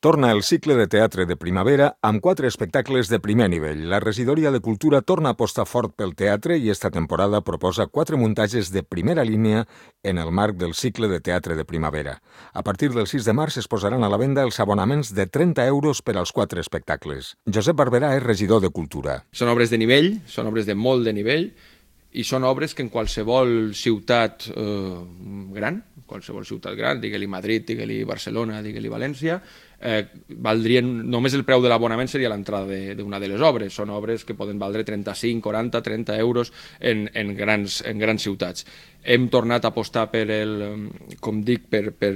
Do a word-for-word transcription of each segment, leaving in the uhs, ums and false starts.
Torna el cicle de teatre de primavera amb quatre espectacles de primer nivell. La regidoria de Cultura torna a apostar fort pel teatre i esta temporada proposa quatre muntatges de primera línia en el marc del cicle de teatre de primavera. A partir del sis de març es posaran a la venda els abonaments de trenta euros per als quatre espectacles. Josep Barberà és regidor de Cultura. Són obres de nivell, són obres de molt de nivell, i són obres que en qualsevol ciutat eh, gran, qualsevol ciutat gran, digue-li Madrid, digue-li Barcelona, digue-li València, eh, valdrien, només el preu de l'abonament seria l'entrada d'una de, de les obres. Són obres que poden valdre trenta-cinc, quaranta, trenta euros en, en, grans, en grans ciutats. Hem tornat a apostar per el, com dic, per, per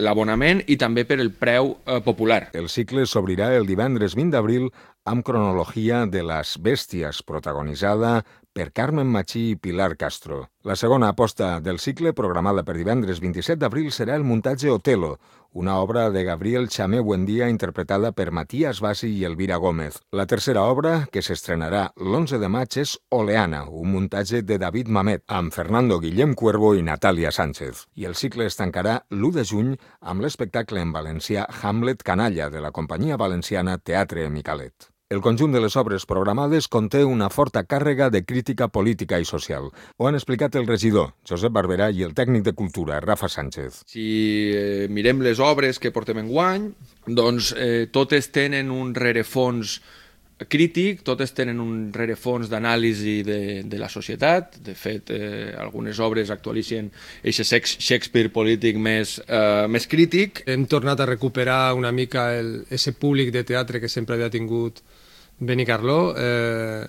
l'abonament i també per el preu eh, popular. El cicle s'obrirà el divendres vint d'abril amb Cronologia de las Bèsties, protagonitzada per Carmen Machí i Pilar Castro. La segona aposta del cicle, programada per divendres vint-i-set d'abril, serà el muntatge Otelo, una obra de Gabriel Chamé Buendía interpretada per Matías Bassi i Elvira Gómez. La tercera obra, que s'estrenarà l'onze de maig, és Oleana, un muntatge de David Mamet, amb Fernando Guillem Cuervo i Natàlia Sánchez. I el cicle es tancarà l'u de juny amb l'espectacle en valencià Hamlet Canalla, de la companyia valenciana Teatre Micalet. El conjunt de les obres programades conté una forta càrrega de crítica política i social. Ho han explicat el regidor, Josep Barberà, i el tècnic de Cultura, Rafa Sánchez. Si eh, mirem les obres que portem enguany, doncs eh, totes tenen un rerefons crític, totes tenen un rerefons d'anàlisi de, de la societat. De fet, eh, algunes obres actualitzen aquest Shakespeare polític més, eh, més crític. Hem tornat a recuperar una mica el, ese públic de teatre que sempre havia tingut Benicarló, eh,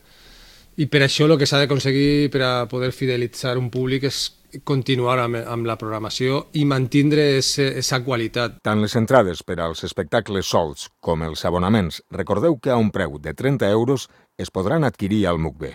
i per això el que s'ha d'aconseguir per a poder fidelitzar un públic és continuar amb, amb la programació i mantindre aquesta qualitat. Tant les entrades per als espectacles sols com els abonaments, recordeu que a un preu de trenta euros es podran adquirir al M U C B.